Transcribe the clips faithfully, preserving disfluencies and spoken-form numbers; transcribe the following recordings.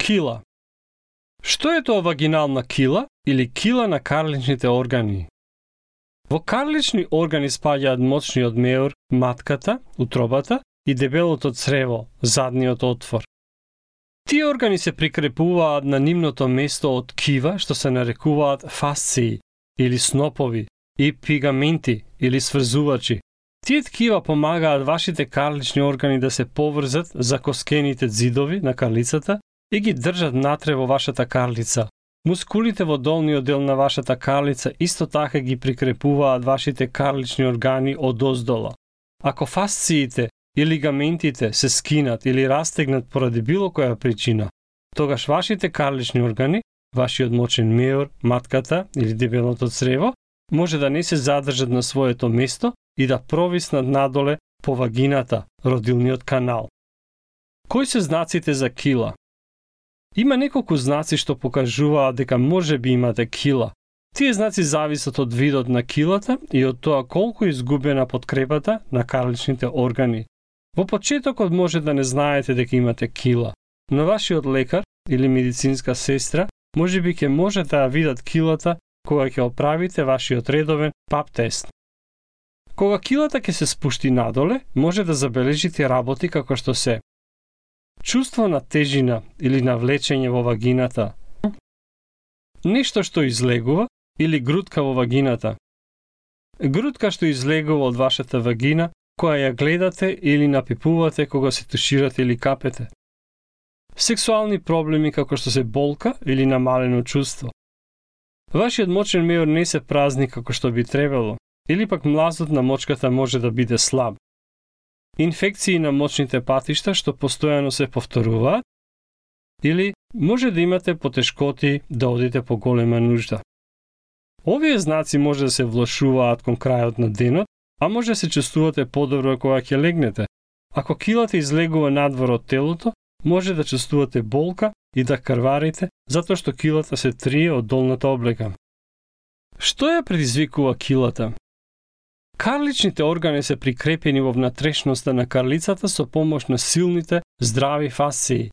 Кила. Што е тоа вагинална кила или кила на карличните органи? Во карлични органи спаѓаат мочниот меур, матката, утробата и дебелото црево, задниот отвор. Тие органи се прикрепуваат на нивното место од ткива што се нарекуваат фасции или снопови и пигаменти или сврзувачи. Тие ткива помагаат вашите карлични органи да се поврзат за коскените ѕидови на карлицата и ги држат натре во вашата карлица. Мускулите во долниот дел на вашата карлица исто така ги прикрепуваат вашите карлични органи одоздола. Ако фасциите и лигаментите се скинат или растегнат поради било која причина, тогаш вашите карлични органи, вашиот мочен меур, матката или дебелото црево, може да не се задржат на своето место и да провиснат надоле по вагината, родилниот канал. Кои се знаците за кила? Има неколку знаци што покажуваат дека може би имате кила. Тие знаци зависат од видот на килата и од тоа колку изгубена подкрепата на карличните органи. Во почетокот може да не знаете дека имате кила, но вашиот лекар или медицинска сестра може би ќе може да ја видат килата кога ќе оправите вашиот редовен пап тест. Кога килата ќе се спушти надоле, може да забележите работи како што се чувство на тежина или на влечење во вагината, нешто што излегува или грудка во вагината, грудка што излегува од вашата вагина, која ја гледате или напипувате кога се туширате или капете, сексуални проблеми како што се болка или намалено чувство, вашиот мочен меур не се празни како што би требало, или пак млазот на мочката може да биде слаб, инфекции на мочните патишта што постојано се повторуваат, или може да имате потешкоти да одите по голема нужда. Овие знаци може да се влошуваат кон крајот на денот, а може да се чувствувате подобро кога ќе легнете. Ако килата излегува надвор од телото, може да чувствувате болка и да крварите, затоа што килата се трие од долната облека. Што ја предизвикува килата? Карличните органи се прикрепени во внатрешноста на карлицата со помош на силните, здрави фасции.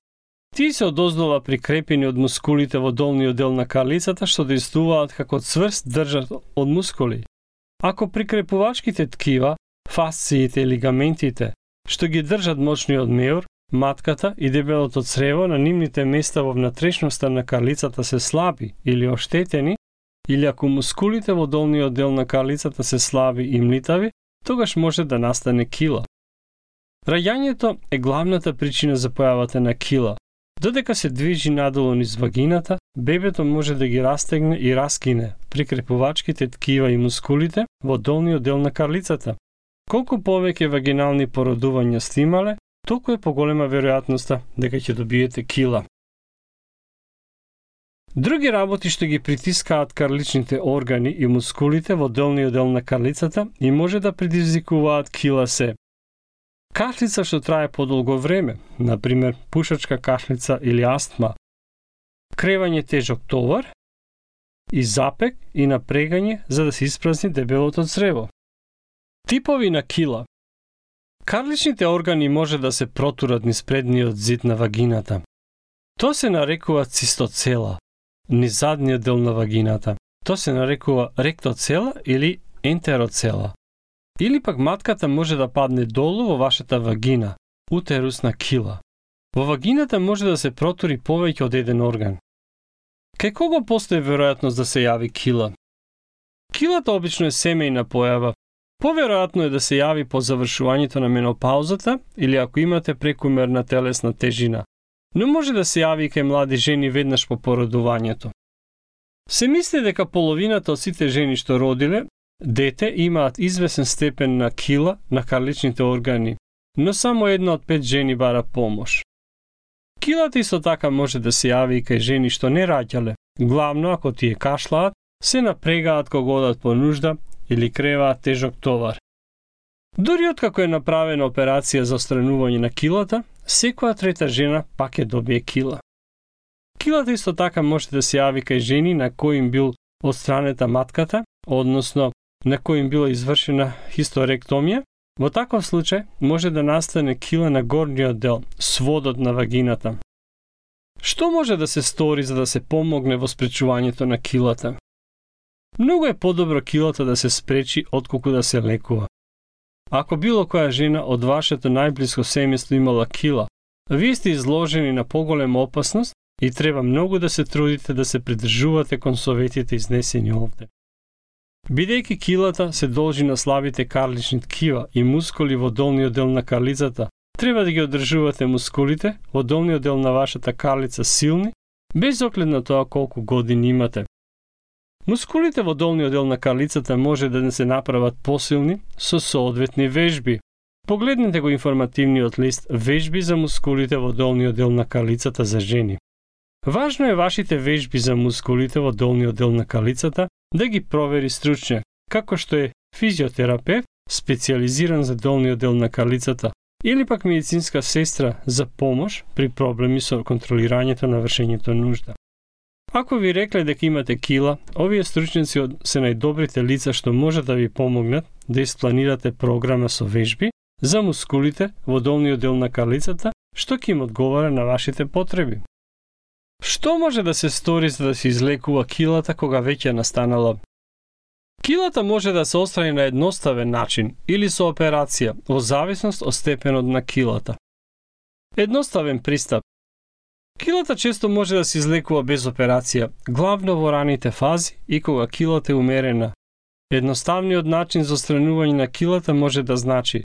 Тие се одоздола прикрепени од мускулите во долниот дел на карлицата што действуваат како цврст држат од мускули. Ако прикрепувачките ткива, фасциите и лигаментите, што ги држат мочниот меур, матката и дебелото црево на нивните места во внатрешноста на карлицата се слаби или оштетени, или ако мускулите во долниот дел на карлицата се слаби и млитави, тогаш може да настане кила. Раѓањето е главната причина за појавата на кила. Додека се движи надолу низ вагината, бебето може да ги растегне и раскине прикрепувачките ткива и мускулите во долниот дел на карлицата. Колку повеќе вагинални породувања сте имале, толку е поголема веројатноста дека ќе добиете кила. Други работи што ги притискаат карличните органи и мускулите во долниот дел на карлицата и може да предизвикуваат кила се кашлица што трае подолго време, например пушачка кашлица или астма, кревање тежок товар и запек и напрегање за да се испразни дебелото црево. Типови на кила. Карличните органи може да се протурат низ предниот зид на вагината. Тоа се нарекува цистоцела, низ задниот дел на вагината. Тоа се нарекува ректоцела или ентероцела. Или пак матката може да падне долу во вашата вагина, утерусна кила. Во вагината може да се протури повеќе од еден орган. Кај кого постои веројатност да се јави кила? Килата обично е семејна појава. Поверојатно е да се јави по завршувањето на менопаузата или ако имате прекумерна телесна тежина, но може да се јави кај млади жени веднаш по породувањето. Се мисли дека половината од сите жени што родиле дете имаат извесен степен на кила на карличните органи, но само една од пет жени бара помош. Килата исто така може да се јави и кај жени што не раѓале, главно ако тие кашлаат, се напрегаат кога одат по нужда или креваат тежок товар. Дури откако е направена операција за отстранување на килата, секоја трета жена пак ќе добие кила. Килата исто така може да се јави кај жени на кои им бил отстранета матката, односно на кои им била извршена хистеректомија. Во таков случај може да настане кила на горниот дел, сводот на вагината. Што може да се стори за да се помогне во спречувањето на килата? Многу е подобро килата да се спречи отколку да се лекува. Ако било која жена од вашето најблиско семејство имала кила, вие сте изложени на поголема опасност и треба многу да се трудите да се придржувате кон советите изнесени овде. Бидејќи килата се должи на слабите карлични ткива и мускули во долниот дел на карлицата, треба да ги одржувате мускулите во долниот дел на вашата карлица силни, без оглед на тоа колку години имате. Мускулите во долниот дел на карлицата може да не се направат посилни со соодветни вежби. Погледнете го информативниот лист Вежби за мускулите во долниот дел на карлицата за жени. Важно е вашите вежби за мускулите во долниот дел на карлицата да ги провери стручњак, како што е физиотерапевт, специјализиран за долниот дел на карлицата, или пак медицинска сестра за помош при проблеми со контролирањето на вршењето нужда. Ако ви рекле дека имате кила, овие стручњаци се најдобрите лица што може да ви помогнат да испланирате програма со вежби за мускулите во долниот дел на карлицата, што ќе им одговара на вашите потреби. Што може да се стори за да се излекува килата кога веќе настанала? Килата може да се отстрани на едноставен начин или со операција, во зависност од степенот на килата. Едноставен пристап. Килата често може да се излекува без операција, главно во раните фази и кога килата е умерена. Едноставниот начин за отстранување на килата може да значи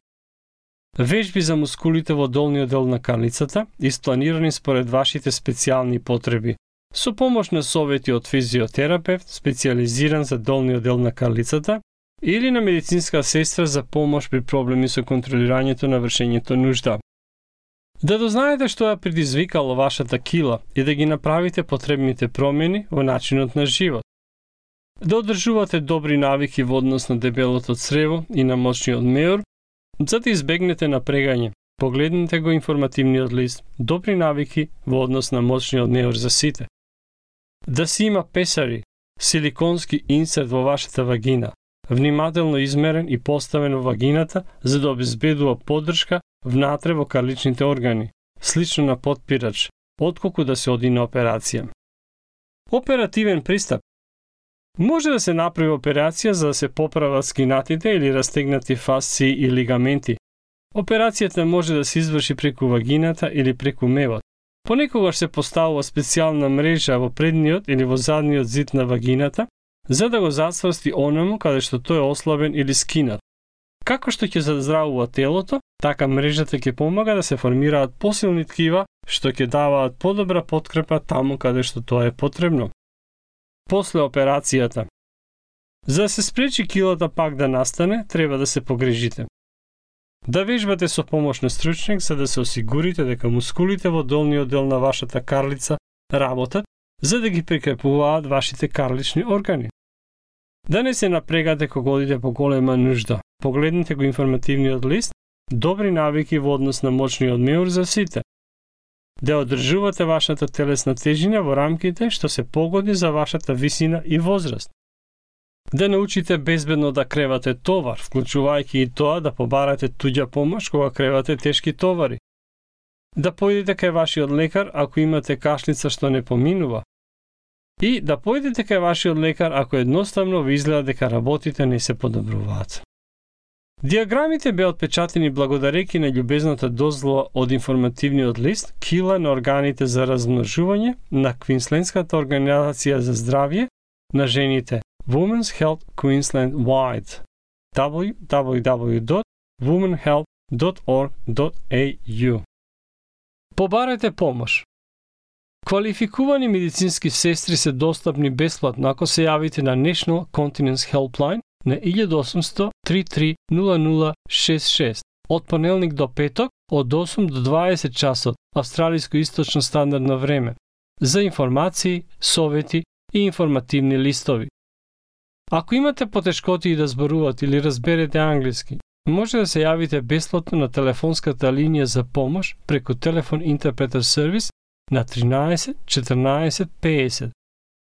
вежби за мускулите во долниот дел на карлицата, испланирани според вашите специјални потреби, со помош на совети од физиотерапевт, специјализиран за долниот дел на карлицата, или на медицинска сестра за помош при проблеми со контролирањето на вршењето нужда. Да дознаете што ја предизвикало вашата кила и да ги направите потребните промени во начинот на живот. Да одржувате добри навики во однос на дебелото црево и на моćниот меур, за да избегнете напрегање. Погледнете го информативниот лист Добри навики во однос на моćниот меур за сите. Да си има песари, силиконски инсерт во вашата вагина, внимателно измерен и поставен во вагината за да обезбедува поддршка внатре во карличните органи, слично на потпирач, отколку да се оди на операција. Оперативен пристап. Може да се направи операција за да се поправат скинатите или растегнати фасции и лигаменти. Операцијата може да се изврши преку вагината или преку мевот. Понекогаш се поставува специјална мрежа во предниот или во задниот зид на вагината, за да го зацврсти онаму каде што тој е ослабен или скинат. Како што ќе заздравува телото, така мрежата ќе помага да се формираат посилни ткива, што ќе даваат подобра подкрепа таму каде што тоа е потребно. После операцијата. За да се спречи килата пак да настане, треба да се погрижите. Да вежбате со помош на стручњак за да се осигурите дека мускулите во долниот дел на вашата карлица работат, за да ги прикрепуваат вашите карлични органи. Да не се напрегате кога одите по голема нужда. Погледнете го информативниот лист Добри навики во однос на моćниот меур за сите. Да одржувате вашата телесна тежина во рамките што се погоди за вашата висина и возраст. Да научите безбедно да кревате товар, вклучувајќи и тоа да побарате туѓа помош кога кревате тешки товари. Да појдете кај вашиот лекар ако имате кашлица што не поминува. И да појдете кај вашиот лекар ако едноставно ви изгледа дека работите не се подобруваат. Диаграмите беа отпечатени благодарејќи на љубезната дозвола од информативниот лист Кила на органите за размножување на Квинслендската организација за здравје на жените Women's Health Queensland Wide double-u double-u double-u dot women health dot org dot a u. Побарете помош. Квалификувани медицински сестри се достапни бесплатно ако се јавите на National Continence Helpline на еден осумсто три три нула нула шест шест од понеделник до петок од осум до дваесет часот австралиско источно стандардно време за информации, совети и информативни листови. Ако имате потешкоти да зборувате или разберете англиски, може да се јавите бесплатно на телефонската линија за помош преку телефон интерпретер сервис на тринаесет четрнаесет песет.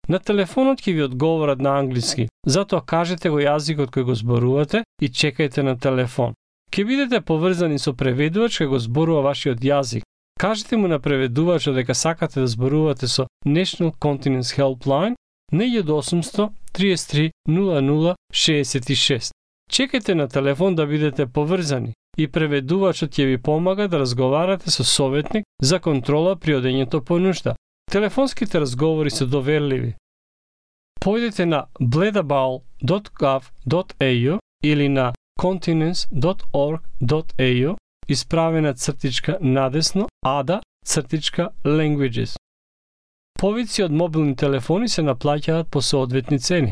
На телефонот ќе ви одговорат на англиски, затоа кажете го јазикот кој го зборувате и чекајте на телефон. Ќе бидете поврзани со преведувач кој го зборува вашиот јазик, Кажете му на преведувачот дека сакате да зборувате со National Continence Helpline на еден осумсто триесет три нула нула шеесет и шест. Чекайте на телефон да бидете поврзани и преведувачот ќе ви помага да разговарате со советник за контрола при одењето по нушта. Телефонските разговори се доверливи. Појдете на bledabowl dot gov dot a u или на continence dot org dot a u, исправена цртичка надесно ада цртичка languages. Повици од мобилни телефони се наплаќаат по соодветни цени.